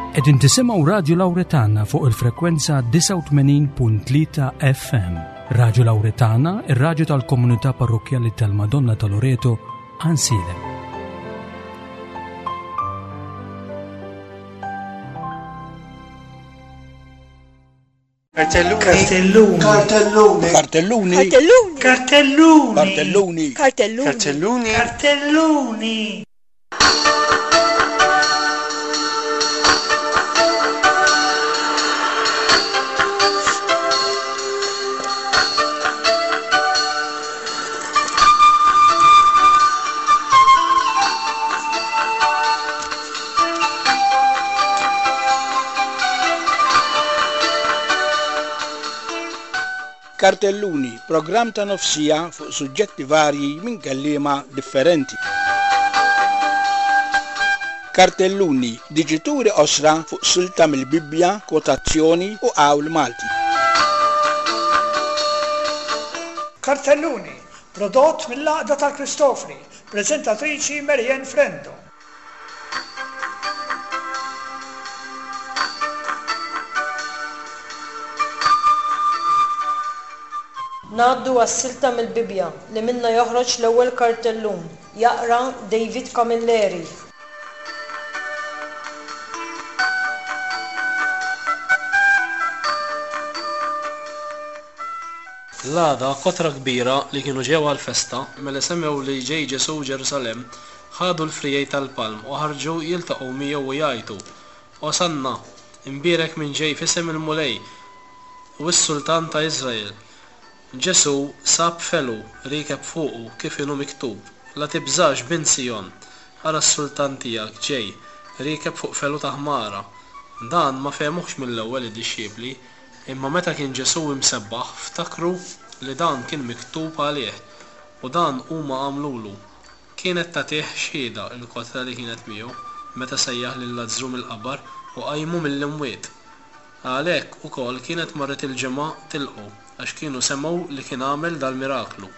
Qegħdin tisimgħu Radju Lawretana fuq il-frekwenza 89.3 FM. Radju Lawretana, ir-radju tal-komunità parrokkjali tal-Madonna ta' Loreto, Ansilem. Kartelluni. Kartelluni. Kartelluni. Kartelluni. Kartelluni. Kartelluni. Kartelluni. Kartelluni. Kartelluni. Kartelluni, programm ta' nofsija fuq suġġetti varji minn kelliema differenti. Kartelluni, diġituri qosra fuq silta mill-Bibbja, kwotazzjoni u qawl Malti. Kartelluni, prodott mill-Għaqda tal-Kristofri, preżentatriċi Marianne Frendo. Ngħaddu għas-silta mill-Bibbja li minnha joħroġ l-ewwel kartellun. Jaqra David Camilleri. L-għada, kotra kbira li kienu ġew għall-festa, mela semgħu li ġej Ġesù Ġerusalemm, ħadu l-friegħi tal-palm u ħarġu jiltaqgħu miegħu u jgħajtu, Osanna! Imbierek min ġej f'isem il-Mulej, u s-Sultan ta' Iżrael! Ġesù sab felu, riekeb fuqu, kif inhu miktub, La tibżax, bint Sijon! Ara s-sultan tiegħek ġej, riekeb fuq felu ta' ħmara. Dan ma fehmuhx mill-ewwel id-dixxipli, Imma meta kien Ġesù imsebbaħ, ftakru li dan kien miktub għalih, u dan huma għamlulu. Kienet tagħtih xhieda l-kotra li kienet miegħu, meta sejjaħ lil Lazzru mill-qabar u qajmu mill-imwiet. Għalhekk ukoll kienet marret il-ġemgħa tilqgħu, għax kienu semgħu li kien għamel dal-miraklu.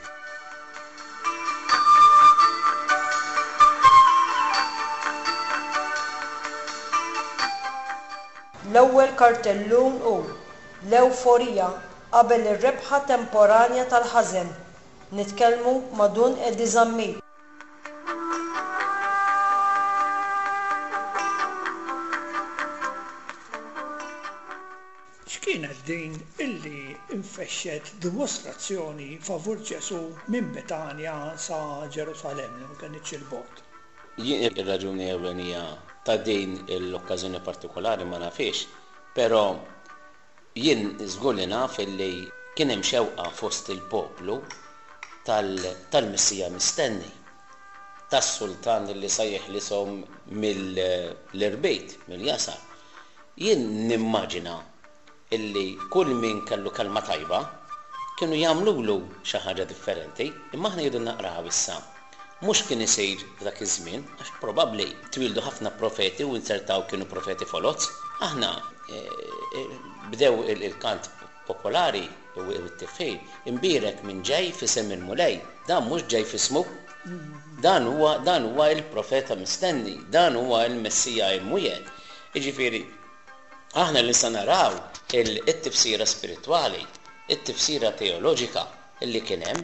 L-ewwel kartellun hu l-ewforija qabel ir-rebħa temporanja tal-ħażen. Nitkellmu ma' Dun Eddie Zammit. X'kienet din illi nfexxet dimostrazzjoni favur Ġesù minn Betanja sa Ġerusalemm li ma kenitx 'il bogħod? Jien ir-raġuni ewlenija ta' din l-okkażjoni partikolari ma nafhiex, però jien żgur li naf illi kien hemm xewqa fost il-poplu tal-Messija mistenni, tas-sultan li sa jeħlishom mill-irbit, mill-jasar. Jien nimmaġina illi kull min kellu kelma tajba kienu jagħmlulu xi ħaġa differenti, imma aħna jridu naqraw issa mhux kien isir f'dak iż-żmien, għax probabbli twieldu ħafna profeti u inzertaw kienu profeti foloz. Aħna bdew il-kant popolari u t-tifħir, imbierek min ġej f'isem il-Mulej, dan mhux ġej f'ismu, dan huwa dan huwa l-profeta mistenni, dan huwa l-Messija imwiegħed. Jiġifieri, Aħna li se naraw it-tifsira spiritwali, it-tifsira teoloġika li kien hemm,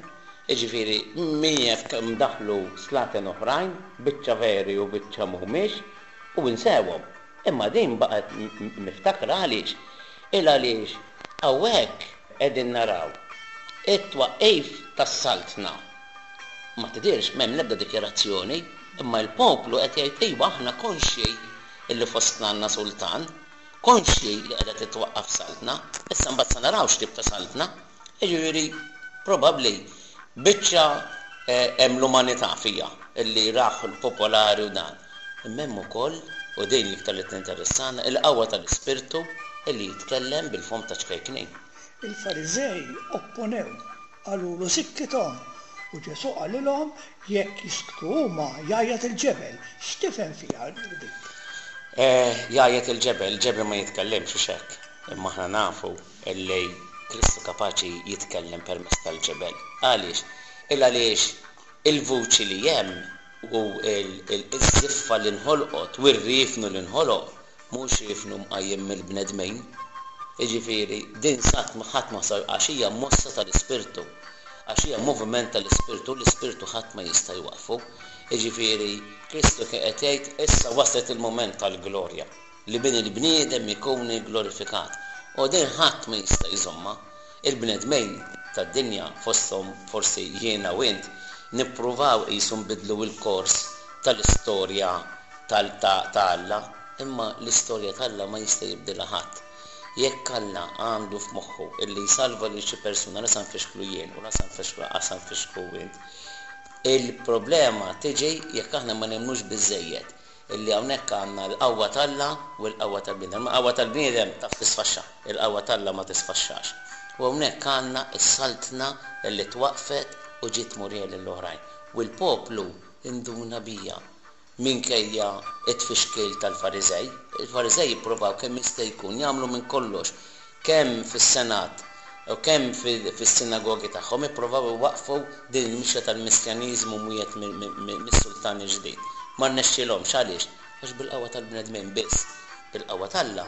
jiġifieri min jaf kemm daħlu slaten oħrajn, biċċa veri u biċċa mhumiex, u insewhom. Imma din baqgħet miftakra għaliex? Il għaliex hawnhekk qegħdin naraw it-twaqqif tas-saltna. Ma tidhirx, m'hemm l-ebda dikjarazzjoni, imma l-poplu qed jgħid iva aħna konxji illi fostna għandna sultan, konxji li qiegħda titwaqqaf saltna, issa mbagħad sa naraw x'tip ta' saltna. Jiġifieri probabbli biċċa hemm l-umanità fiha illi rah l-popolari u dan. Imma hemm ukoll, u din l-iktar li tinteressana, il-qawwa tal-Ispirtu illi jitkellem bil-fomm ta' ċkejknin. Il-Fariżej opponew, qalulu sikkithom, u Ġesù qalilhom Jekk jisktu huma, jgħajjat il-ġebel. X'tifhem fiha dik? Eh, jgħajjat il-ġebel, il-ġebel ma jitkellimx, hux hekk? Imma aħna nafu li Kristu kapaċi jitkellem permezz tal-ġebel. Għaliex? Il għaliex il-vuċi li hemm u ż-żiffa li nħolqot u r-riefnu li nħoloq. Mhux ifnu mqajjem mill-bnedmin. Jiġifieri, din sat ħadd ma sa għax hija mossa tal-Ispirtu. Għax hija moviment tal-Ispirtu, l-Ispirtu ħadd ma jista' jwaqqfu. Jiġifieri, Kristu kien qed jgħid, issa waslet il-mument tal-glorja, li bin il-bniedem ikun igglorifikat. U din ħadd ma jista' jżommha. Il-bnedmin tad-dinja, fosthom forsi jiena u int, nippruvaw qisu nbiddlu l-kors tal-istorja tal ta' ta' Alla, imma l-istorja t'Alla ma jista' jibdilha ħadd. Jekk Alla għandu f'moħħu illi jsalva lil xi persuna la sa nfixklu jien u la sa nfixklu lanqas sa nfixklu int. Il-problema tiġi jekk aħna ma nemmnux biżżejjed illi hawnhekk għandna l-qawwa t'Alla u l-qawwa tal-bniedem. Imma l-qawwa tal-bniedem taf tisfaxxa, il-qawwa t'Alla ma tisfaxxax. U hawnhekk għandna s-saltna illi twaqqfet u ġiet murija lill-oħrajn. U l-poplu induna bija. Minkejja t-tfixkil tal-Fariżej, il-Fariżej ippruvaw kemm jista' jkun jagħmlu minn kollox, kemm fis-senat u kemm fis-sinagogi tagħhom ippruvaw iwaqqfu din il-mixja tal-Messjaniżmu mwiegħed mis-sultan il-ġdid. Ma rnexxielhomx. Għaliex? Għax bil-qawwa tal-bnedmin biss. Bil-qawwa t'Alla,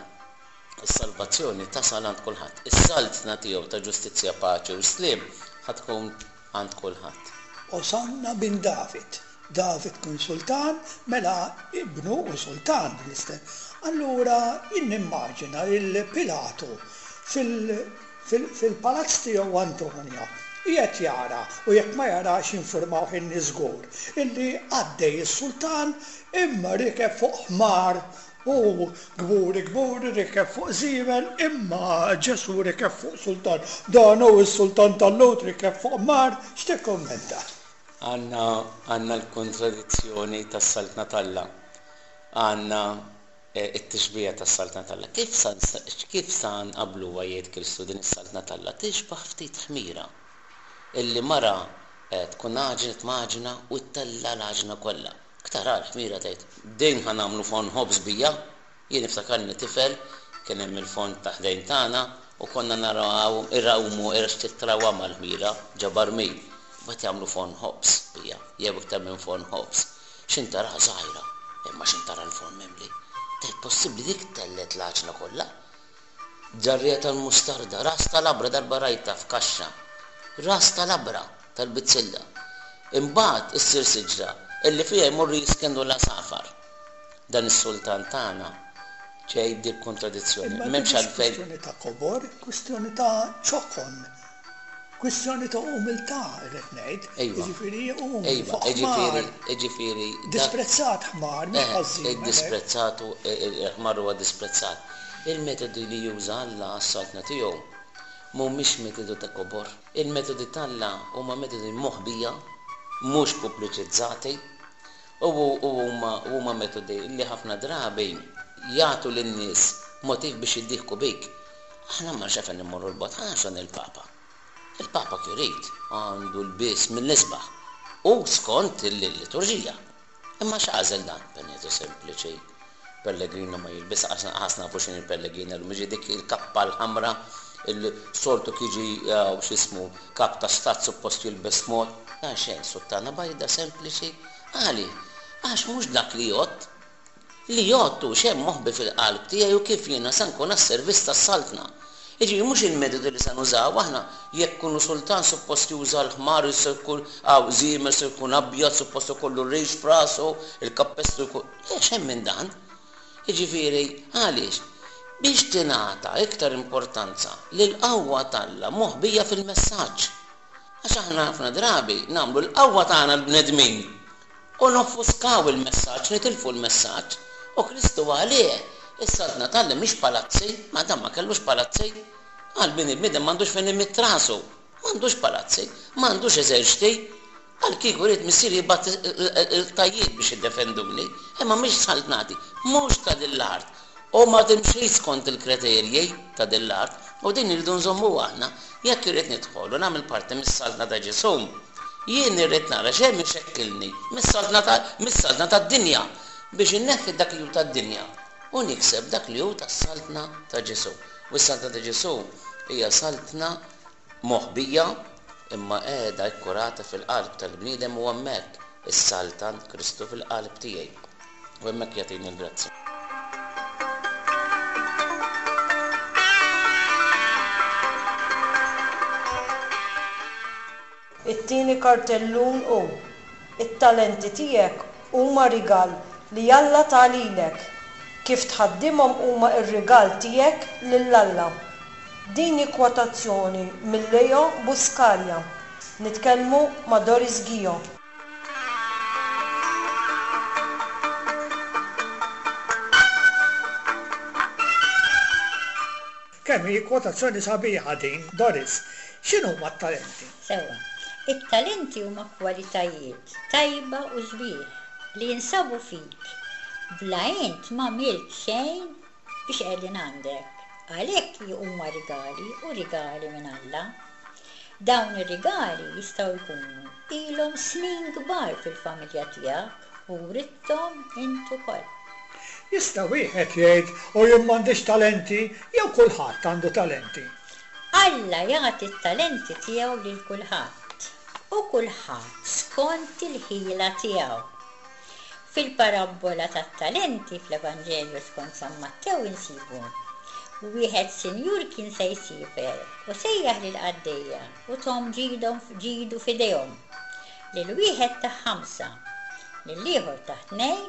is-salvazzjoni tasal għand kulħadd. Is-saltna tiegħu ta' ġustizzja, paċi u sliem ħa tkun għand kulħadd. Osanna bin David. David kien sultan, mela ibnu hu sultan bl-istess. Allura jien nimmaġina lil Pilatu fil-palazz tiegħu Antonia qiegħed jara, u jekk ma jarax jinfurmawh in-nies żgur, illi għaddej is-sultan imma rikeb fuq ħmar Hu kburi kburi rikeb fuq żiemel imma Ġesù rikeb fuq sultan. Dan hu s-sultan tal-Lhud rikeb fuq ħmar. X'tikkummenta? Għandna għandna l-kontradizzjoni tas-Saltna t'Alla. Għandna t-tixbiha tas-Saltna t'Alla. Kif sa kif sa nqabbluha jgħid Kristu din is-Saltna t'Alla? Tixbah ftit ħmira illi mara tkun għaġnet m'għaġna u ttella' l-għaġna kollha. Tara l-ħmira tgħid, din ħa nagħmlu forn ħobż bija. Jien niftakarni tifel, kien hemm il-forn ta' ħdejn tagħna u konna narawhom irawmu x'titrawam mal-ħmira ġo barmil. Mbagħad jagħmlu forn ħobż bija, jew iktar minn forn ħobż. X'int taraha żgħira, imma x'int tara l-forn mimli. Tgħid possibbli dik tellgħet l-għaġna kollha? Ġarrija tal-mustarda, ras ta' labra darba rajtha f'kaxxa. Ras ta' labra tal-bizzilla. Imbagħad issir siġra illi fiha jmorru jiskennu l-għasafar. Dan is-sultan tagħna ġej b'dil-kontradizzjoni. Imma din M'hemmx mhix għalfejn. kwistjoni ta' kobor, kwistjoni ta' ċokon. Kwistjoni ta' umiltà, irrid ngħid. Ejwa. Jiġifieri umli Ejwa, fuq jiġifieri, ħmar. jiġifieri dak. Disprezzat ħmar, mhux Eh, ħażin, hekk. iddisprezzat u il-ħmar huwa disprezzat. Il-metodi li juża Alla għas-saltna tiegħu mhumiex metodi ta' kobor. Il-metodi t'Alla huma metodi moħbija, mhux pubbliċizzati, u huma huma metodi li ħafna drabi jagħtu lin-nies motiv biex jiddieħku bik. Aħna ma nafx għalfejn immorru 'l bogħod, ħa nagħmlu il-Papa. Il-Papa kif irid, għandu lbies mill-isbaħ u skont il-liturġija. Imma x'għażel dan? Benedetto sempliċi, pellegrina ma jilbisha, qas nafu x'inhi l-pellegrina llum, jiġi dik il-kappa l-ħamra li soltu kif jiġi x'ismu kap ta' stat suppost jilbes mod. Dan xejn, suttana bajda sempliċi. Għaliex? Għax mhux dak li jgħodd. Li jgħodd hu x'hemm moħbi fil-qalb tiegħi u kif jiena sa nkun għas-servizz tas-Saltna. Jiġifieri mhux il-metodi li sa nużaw aħna, jekk ikunu sultan suppost juża l-ħmar, jkun aw żiemel se jkun abjad, suppost ikollu r-rix f'rasu, il-kappestru jkun. Le, x'hemm minn dan? Jiġifieri, għaliex? Biex tingħata iktar importanza lill-qawwa t'Alla moħbija fil-messaġġ. Għax aħna ħafna drabi nagħmlu l-qawwa tagħna l-bnedmin U noffuskaw il-messaġġ, nitilfu l-messaġġ. U Kristu għalih, is-Saltna t'Alla mhix palazzi, ma dan ma kellux palazzi. Qal bin il-bniedem m'għandux fejn imidd rasu. M'għandux palazzi, m'għandux eżerċti. Qal kieku ried Missieri jibgħat il-qtajjiet biex jiddefenduni, imma mhix saltnati, mhux ta' din l-art. U ma timxix skont il-kriterji ta' din l-art, u din irridu nżommuha aħna. Jekk irrid nidħol u nagħmel parti mis-Saltna ta' Ġesù, jien irrid nara x'hemm ixekkilni mis-saltna ta' mis-saltna tad-dinja biex inneħħi dak li hu tad-dinja u nikseb dak li hu tas-Saltna ta' Ġesù. U s-Saltna ta' Ġesù hija saltna moħbija imma qiegħda kkurata fil-qalb tal-bniedem u hemmhekk issaltan Kristu fil-qalb tiegħi. U hemmhekk jagħtini l-grazzja. It-tieni kartellun hu, It-talenti tiegħek huma rigal li Alla ta lilek. Kif tħaddimhom huma r-rigal tiegħek lil Alla. Din hi kwotazzjoni minn Leo Buscaglia. Nitkellmu ma' Doris Ghio. Kemm hi kwotazzjoni sabiħa din, Doris. X'inhuma t-talenti? Sewwa. It-talenti huma kwalitajiet tajba u sbieħ li jinsabu fik. Bla int m'għamilt xejn biex qegħdin għandek. Għalhekk huma rigali u rigali minn Alla. Dawn ir-rigali jistgħu jkunu ilhom snin kbar fil-familja tiegħek u writthom int ukoll. Jista' wieħed jgħid, 'U jien m'għandix talenti', jew kulħadd għandu talenti? Alla jagħti t-talenti tiegħu lil kulħadd, u kulħadd skont il-ħila tiegħu. Fil-parabbola tat-talenti fl-Evanġelju skont San Mattew insibu, Wieħed sinjur kien se jsiefer u sejjaħ lill-qaddejja u thom ġidhom ġidu f'idejhom. Lil wieħed tah ħamsa, lill-ieħor tah tnejn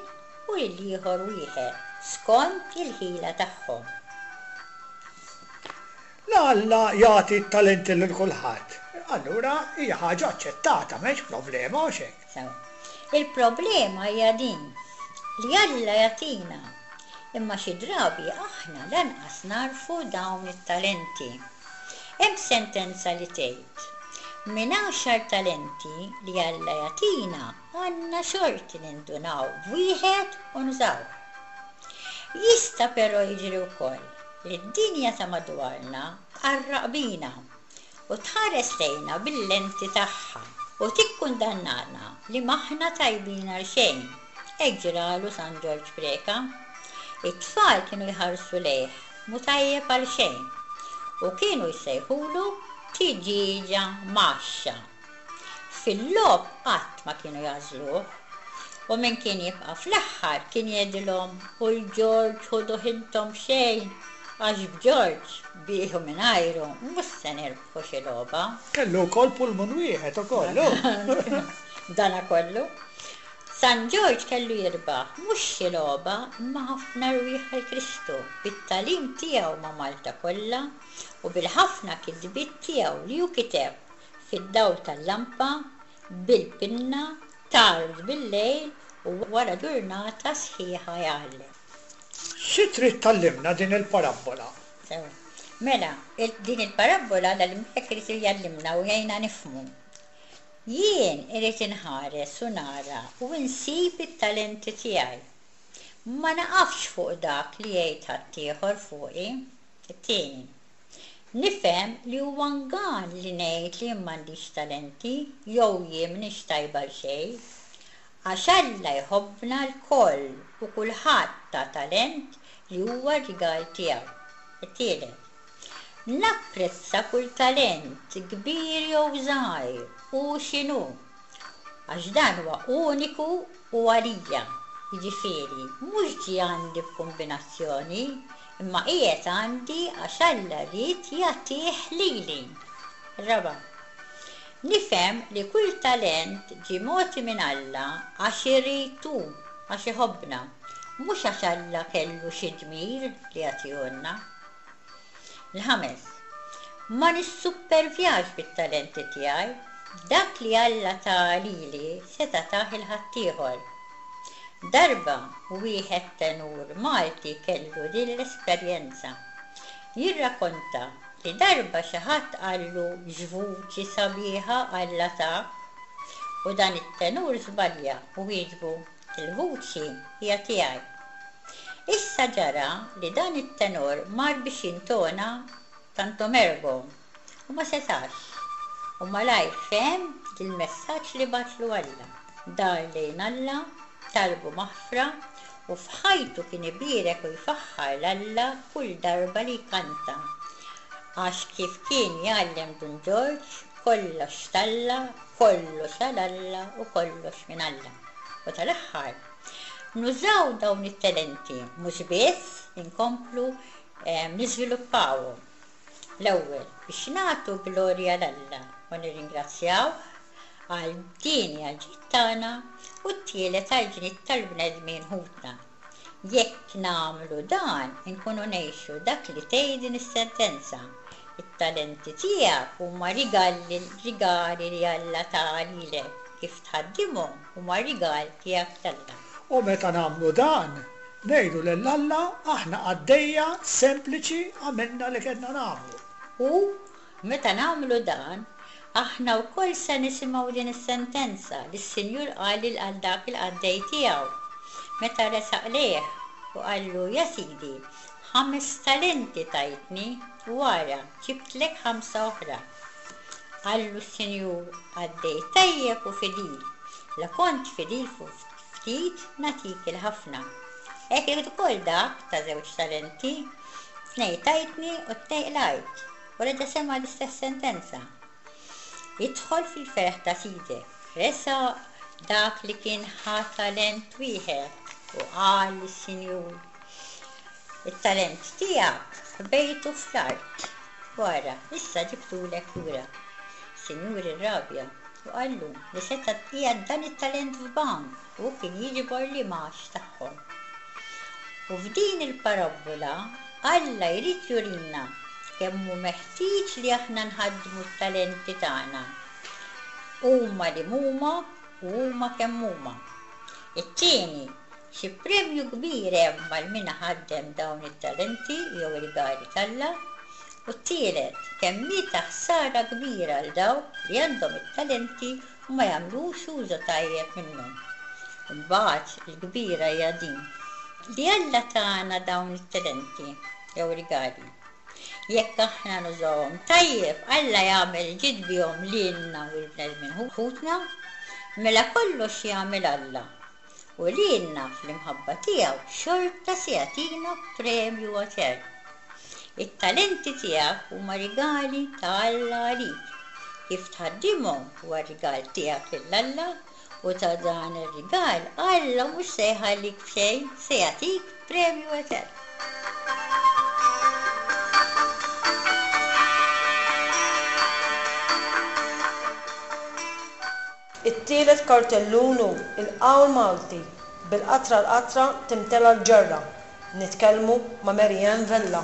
u lill-ieħor wieħed, skont il-ħila tagħhom. La Alla jagħti t-talenti lil kulħadd, allura hija ħaġa aċċettata, m'hemmx problema, hux hekk? Sewa. Il-problema hija din, li Alla jagħtina, imma xi drabi aħna lanqas nagħrfu dawn it-talenti. Hemm sentenza li tgħid, Minn għaxar talenti li Alla jagħtina għandna xorti nindunaw b'wieħed u nużawh. Jista' però jiġri wkoll li d-dinja ta' madwarna tqarraq bina u tħares lejna bil-lenti tagħha u tikkundannana li m'aħna tajbin għal xejn. Hekk ġralu San Ġorġ Preca. It-tfal kienu jħarsu lejh mhu tajjeb għal xejn u kienu jsejħulu tiġieġa mgħaxxa. Fil-logħob qatt ma kienu jagħżluh u min kien jibqa' fl-aħħar kien jgħidilhom u l-Ġorġ ħuduh intom b'xejn għax b'Ġorġ, bih u mingħajru, mhux se nirbħu xi logħba. Kellu wkoll pulmun wieħed ukoll, hu. B'danakollu, San Ġorġ kellu jirbaħ mhux xi logħba imma ħafna rwieħ għal Kristu bit-tagħlim tiegħu ma' Malta kollha u bil-ħafna kitbiet tiegħu li hu kiteb fid-dawl tal-lampa, bil-pinna, tard bil-lejl u wara ġurnata sħiħa jgħallem. Xi trid tgħallimna din il-parabbola? Sewa. Mela, din il-parabbola l-Għalliem irid jgħallimna u jgħinna nifhmu. Jien irrid inħares u nara u nsib it-talenti tiegħi. Ma naqafx fuq dak li jgħid ħaddieħor fuqi. It-tieni, nifhem li huwa ngan li ngħid li jien m'għandix talenti jew jien m'iniex tajba għal xejn. Għax Alla jħobbna lkoll u kulħadd ta talent li huwa r-rigal tiegħu. It-tielet, Napprezza kull talent, kbir jew żgħir, hu x'inhu, għax dan huwa uniku u għalija, jiġifieri mhux ġie għandi b'kumbinazzjoni, imma qiegħed għandi għax Alla ried jagħtih lili. Ir-raba', nifhem li kull talent ġie mogħti minn Alla għax irid hu, għax iħobbna, mhux għax Alla kellu xi dmir li jagħtihulna. Il-ħames, ma nissuppervjax bit-talenti tiegħi. Dak li Alla ta lili seta' tah 'il ħaddieħor. Darba wieħed tenur Malti kellu din l-esperjenza. Jirrakonta li darba xi ħadd qallu x'vuċi sabiħa Alla tak u dan it-tenur żbalja u wieġbu Il-vuċi hija tiegħi. Issa ġara li dan it-tenor mar biex jintona Tantum Ergo u ma setax u malajr fehem li l-messaġġ li bagħatlu Alla. Dar lejn Alla, talbu maħfra u f'ħajtu kien ibierek u jfaħħar 'l Alla kull darba li jkanta għax kif kien jgħallem Dun Ġorġ, kollox t'Alla, kollox għal Alla u kollox minn Alla. U tal-aħħar, nużaw dawn it-talenti mhux biss inkomplu niżviluppawhom. L-ewwel, biex nagħtu glorja 'l Alla u nirringrazzjawh. Għal tieni għall-ġid tagħna u t-tielet għall-ġnid tal-bnedmin ħutna. Jekk nagħmlu dan, inkunu ngħixu dak li tgħid din is-sentenza, It-talenti tiegħek huma rigalli rigali li Alla ta lilek, kif tħaddimhom huma rigal tiegħek t'Alla. U meta nagħmlu dan, ngħidu lil Alla aħna qaddejja sempliċi għamilna li kellna nagħmlu. U meta nagħmlu dan, aħna wkoll se nisimgħu din is-sentenza li s-Sinjur qal lil għal dak il-qaddej tiegħu, meta resaq lejh u qallu, Ja sidi, ħames talenti tajtni, u ara, ġibtlek ħamsa oħra. Qallu s-Sinjur, Qaddej tajjeb u fidil, la kont fidil fuq ftit, nagħtik il-ħafna. Hekk ukoll dak ta' żewġ talenti, Tnejn tajtni u tnejn qlajt. U reġa' sema' l-istess sentenza. Idħol fil-ferħ ta' sidek. Resaq dak li kien ħa talent wieħed u qal lis-sinjur, It-talent tiegħek ħbejtu fl-art, u ara, issa ġibtulek lura. Is-sinjur irrabja u qallu li seta' qiegħed dan it-talent f'bank u kien jiġbor l-imgħax tagħhom. U f'din il-parabbola Alla jrid jurina kemm hu meħtieġ li aħna nħaddmu t-talenti tagħna, huma li m'huma u huma kemm huma. It-tieni, xi premju kbir hemm għal min iħaddem dawn it-talenti jew rigali t'Alla, u t-tielet, kemm hi ta' ħsara kbira għal dawk li għandhom it-talenti u ma jagħmlux użu tajjeb minnhom. Imbagħad il-kbira hija din, li Alla tana dawn it-talenti jew rigali. Jekk aħna nużawhom tajjeb, Alla jagħmel ġid bihom lilna u l-bnedmin ħutna, mela kollox jagħmel Alla u lilna fl-imħabba tiegħu xorta se jagħtina premju etern. It-talenti tiegħek huma rigali ta' Alla għalik. Kif tħaddimhom huwa rigal tiegħek lil Alla u ta' dan ir-rigal Alla mhux se jħallik b'xejn, se jagħtik premju etern. It-tielet kartellun hu il-qawl Malti, Bil-qatra l-qatra timtela l-ġarra. Nitkellmu ma' Mary Ann Vella.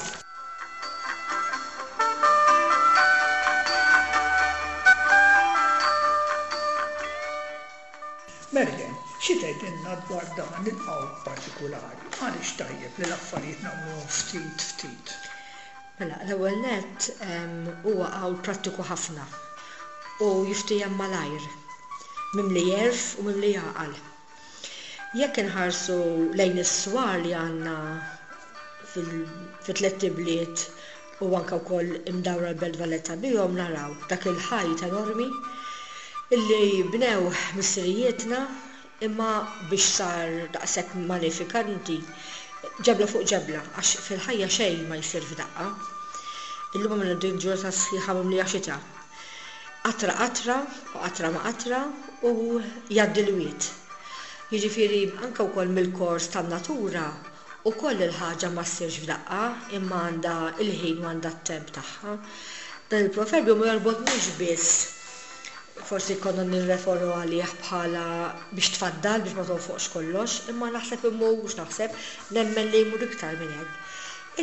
Mary Ann, xi tgħidilna dwar dan il-qawl partikulari? Għaliex tajjeb li l-affarijiet nagħmluhom ftit ftit? Mela, l-ewwel nett huwa qawl prattiku ħafna u jiftiehem malajr, mimli għerf u mimli għaqal. Jekk inħarsu lejn is-swar li għandna fit-tlett ibliet u anke wkoll imdawra l-Belt Valletta bihom naraw dak il-ħajt enormi illi bnew missirijietna Imma biex sar daqshekk malefikanti, ġebla fuq ġebla, għax fil-ħajja xejn ma jsir f'daqqa. Illum għamilna din ġurnata sħiħa mimlija xita. Qatra qatra u qatra ma' qatra u jgħaddi l-wied. Jiġifieri anke wkoll mill-kors tan-natura ukoll il-ħaġa ma ssirx f'daqqa imma għandha l-ħin u għandha t-temp tagħha. Dan il-proverbju ma jorbotniex biss Forsi konna nirreferu għalih bħala biex tfaddal, biex ma tonfoqx kollox, imma naħseb imur, mhux naħseb, nemmen li jmur iktar minn hekk.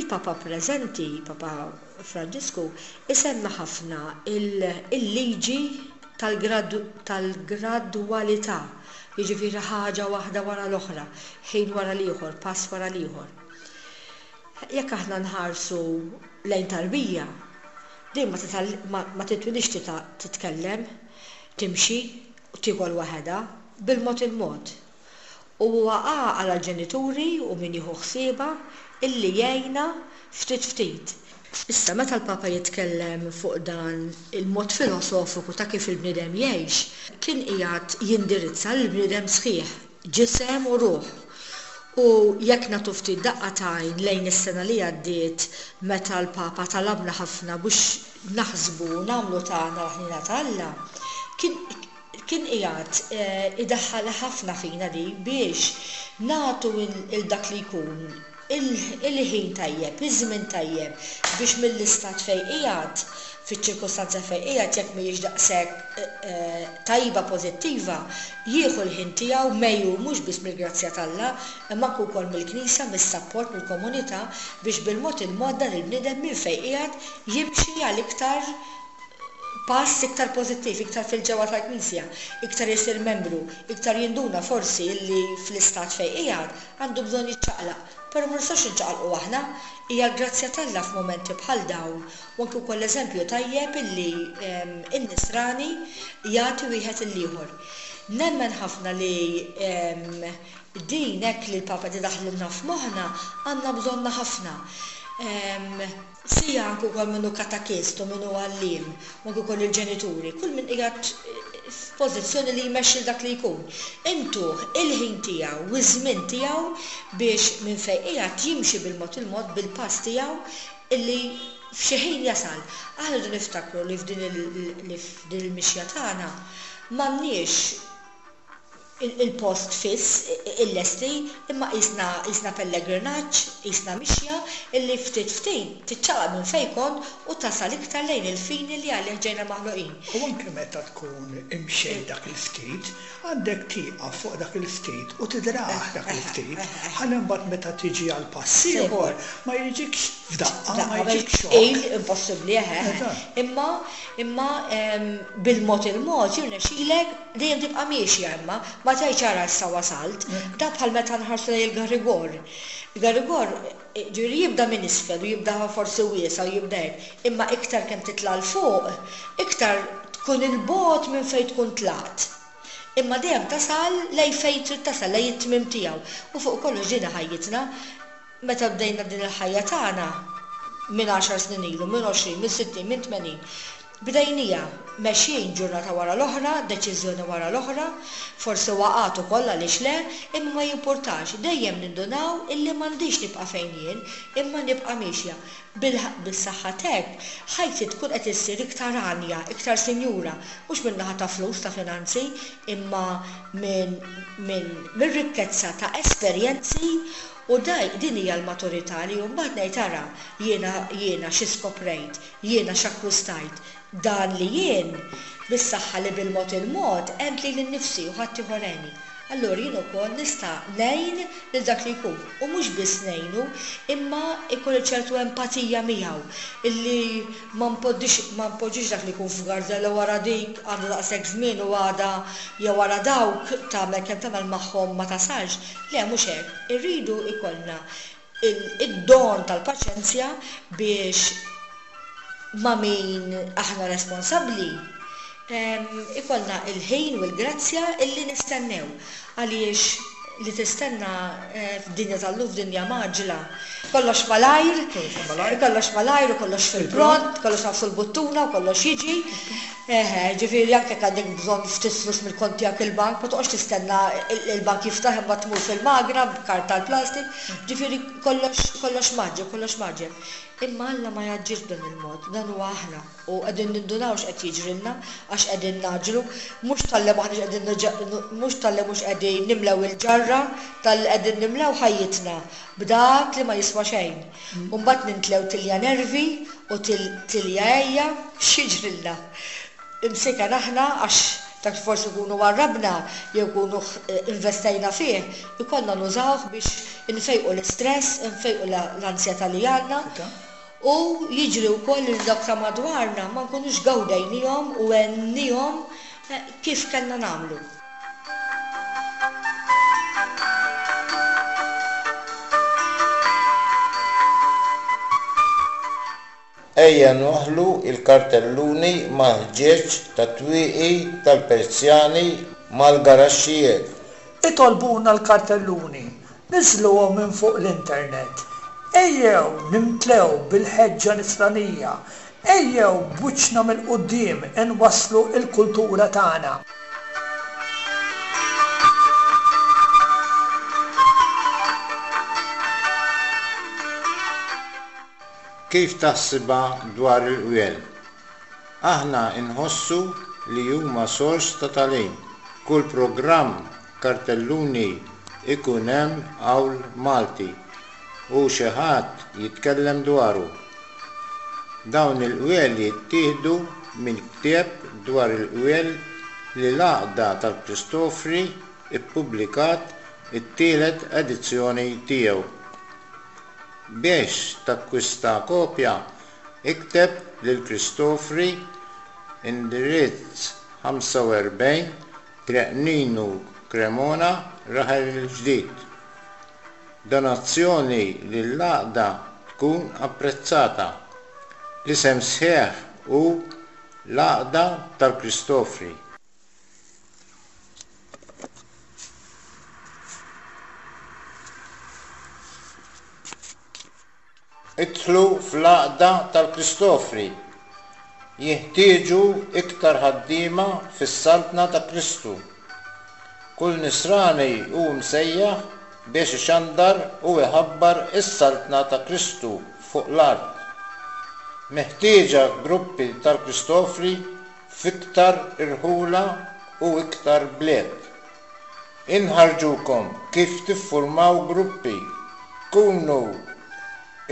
Il-Papa preżenti, Papa Franġisku, isemmi ħafna il-liġi tal-gradwalità, jiġifieri ħaġa waħda wara l-oħra, ħin wara l-ieħor, pass wara l-ieħor. Jekk aħna nħarsu lejn tarbija, din ma ma titwilidx titkellem, timxi u tiekol waħedha, bil-mod il-mod. U huwa għaqal għall-ġenituri u min jieħu ħsiebha illi jgħinha ftit ftit. Issa meta l-Papa jitkellem fuq dan il-mod filosofiku ta' kif il-bniedem jgħix, kien qiegħed jindirizza lill-bniedem sħiħ, ġisem u ruħ. U jekk nagħtu ftit daqqa t'għajn lejn is-sena li għaddiet meta l-Papa talabna ħafna biex naħsbu u nagħmlu tagħna l-ħniena ta' Alla, kien kien qiegħed idaħħalha ħafna fina di biex nagħtu 'l dak li jkun il-ħin tajjeb, iż-żmien tajjeb biex mill-istat fejn qiegħed. Fiċ-ċirkustanza fejn qiegħed jekk mhijiex daqshekk tajba pożittiva, jieħu l-ħin tiegħu megħjun mhux biss mill-grazzja t'Alla, imma anke wkoll mill-Knisja, mis-sapport, mill-komunità biex bil-mod il-mod dan il-bniedem minn fejn qiegħed jimxi għal iktar pass iktar pożittiv, iktar fil-ġewwa tal-Knisja, iktar isir membru, iktar jinduna forsi illi fl-istat fejn qiegħed għandu bżonn jiċċaqlaq. Però ma nistgħux niċċaqalqu aħna. Hija l-grazzja t'Alla f'mumenti bħal dawn u anki wkoll eżempju tajjeb illi n-Nisrani jagħti wieħed lill-ieħor. Nemmen ħafna li din hekk li l-Papa qed idaħħlilna f'moħħna għandna bżonnha ħafna. Sia anke wkoll min hu katakist u min hu għalliem u anke wkoll il-ġenituri, kull min qiegħed f'pożizzjoni li jmexxi 'l dak li jkun. Intuh il-ħin tiegħu u ż-żmien tiegħu biex minn fejn qiegħed jimxi bil-mod il-mod bil-pass tiegħu illi f'xi ħin jasal. Aħna rridu niftakru li f'din li f'din il-mixja tagħna m'għandniex il-post fiss il-lesti imma qisna qisna pellegrinaġġ, qisna mixja illi ftit ftit tiċċaqlaq minn fejn kont u tasal iktar lejn il-fini li għalih ġejna maħluqin. U anke meta tkun imxejt dak il-ftit, għandek tieqaf fuq dak il-ftit u tidrah dak il-ftit, ħalli mbagħad meta tiġi għal pass ieħor ma jiġikx f'daqqa, ma jiġikx xokk. Tqil impossibbli, eħe, eħe. Imma imma bil-mod il-mod jirnexxilek Dejjem tibqa' miexja imma, ma tgħidx ara issa wasalt. Dan bħal meta nħarsu lejn il-garigor. Il-garigor, jiġifieri jibda minn isfel u jibda forsi wiesa' u jibda hekk, imma iktar kemm titla' 'l fuq, iktar tkun 'il bogħod minn fejn tkun tlaqt. Imma dejjem tasal lejn fejn trid tasal, lejn it-tmiem tiegħu. U fuq kollox din hi ħajjitna. Meta bdejna din il-ħajja tagħna, minn għaxar snin ilu, minn 20, minn 60, minn 80, bdejniha mexjin ġurnata wara l-oħra, deċiżjoni wara l-oħra, forsi waqgħat ukoll għaliex le, imma ma jimpurtax, dejjem nindunaw illi m'għandix nibqa' fejn jien, imma nibqa' miexja. Bis-saħħa t'hekk, ħajti tkun qed issir iktar għanja, iktar sinjura, mhux min-naħa ta' flus, ta' finanzi, imma minn minn mir-rikkezza ta' esperjenzi U daj, din hija l-maturità li mbagħad ngħid ara, jiena, jiena xi skoprejt, jiena x'akkwistajt, dan li jien, bis-saħħa li bil-mod il-mod għent lili nnifsi u ħaddieħor għeni. Allura jien ukoll nista' ngħin lil dak li jkun. U mhux biss ngħinu, imma jkolli ċertu empatija miegħu, illi ma npoddix, ma npoġġix dak li jkun f'garzella u ara dik għandha daqshekk żmien u għada jew ara dawk tagħmel kemm tagħmel magħhom ma tasalx. Le, mhux hekk. Irridu jkollna id-don tal-paċenzja biex ma' min aħna responsabbli ikollna l-ħin u l-grazzja illi nistennew. Għaliex li tistenna f'dinja tal-lum, f'dinja mgħaġġla, kollox malajr, kollox malajr u kollox fil-pront, kollox nagħfsu l-buttuna u kollox jiġi. Eħe, ġifieri anke jekk għandek bżonn ftit flus mill-kont tiegħek il-bank, ma toqgħodx tistenna l-bank jiftaħ imbagħad tmur fil-magna b'kard tal-plastik. Ġifieri kollox kollox mgħaġġel, kollox mgħaġġel. Imma Alla ma jgħaġġilx b'dan il-mod, dan huwa aħna u qegħdin nindunaw x'qed jiġrilna għax qegħdin ngħaġġlu, mhux talli m'aħniex qegħdin mhux talli mhux qegħdin nimlew il-ġarra, talli qegħdin nimlew ħajjitna b'dak li ma jiswa xejn. U mbagħad nintlew tilja nervi u tilja għejja, x'jiġrilna? Imsiken aħna għax dak li forsi nkunu warrabna jew nkunu investejna fih, ikollna nużawh biex infejqu l-istress, infejqu l-ansjetà li għandna u jiġri wkoll li dawk ta' madwarna ma nkunux gawdejnihom u għennihom kif kellna nagħmlu. Ejja nwaħħlu l-kartelluni mal-ħġieġ tat-twieqi tal-persjani mal-garaxxijiet. Itolbuna l-kartelluni, niżżluhom minn fuq l-internet. Ejjew nimtlew bil-ħeġġa nisranija. Ejjew b'wiċċna mill-quddiem inwasslu l-kultura tagħna. Kif taħsibha dwar il-qwiel? Aħna nħossu li huma sors ta' tagħlim. Kull programm kartelluni ikun hemm qawl Malti u xi ħadd jitkellem dwaru. Dawn il-qwiel jittieħdu minn ktieb dwar il-qwiel li l-Għaqda tal-Kristofri ppubblikat it-tielet edizzjoni tiegħu. Biex takkwista kopja, ikteb lil Kristofri, indirizz 45, Triq Ninu Cremona, Raħel il-Ġdid. Donazzjoni lill-Għaqda tkun apprezzata. L-isem sħiħ hu L-Għaqda tal-Kristofri. Idħlu fl-Għaqda tal-Kristofri. Jinħtieġu iktar ħaddiema fis-Saltna ta' Kristu. Kull Nisrani hu msejjaħ biex ixandar u iħabbar is-Saltna ta' Kristu fuq l-art. Meħtieġa gruppi tal-Kristofri f'iktar irħula u iktar bliet. Inħarrġukom kif tiffurmaw gruppi. Kunu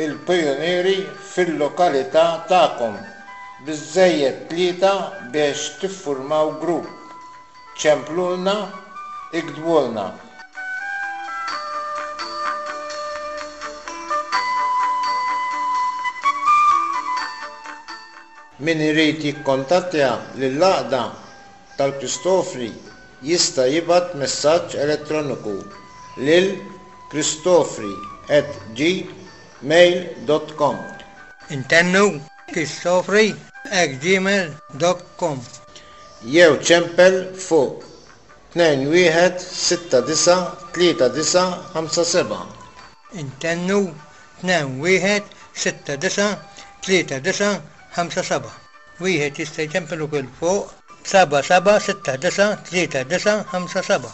l-pijunieri fil-lokalità tagħkom. Biżżejjed tlieta biex tiffurmaw grupp. Ċemplulna, iktbulna. Min irid jikkontattja lill-Għaqda tal-Kristofri jista' jibgħat messaġġ elettroniku lil kristofri at gmail dot com. Intennu, kristofri at gmail dot com. Jew ċempel fuq 21 69 39 57. Intennu, 21 69 39 57. Wieħed jista' jċempel ukoll fuq 77693957.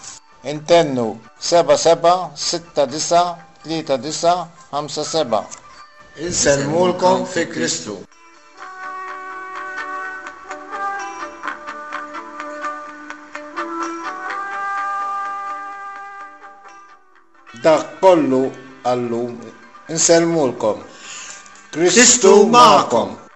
Intennu, 77693957. Insellmulkom fi Kristu. Dak kollu għal-lum. Insellmulkom. Kristu magħkom.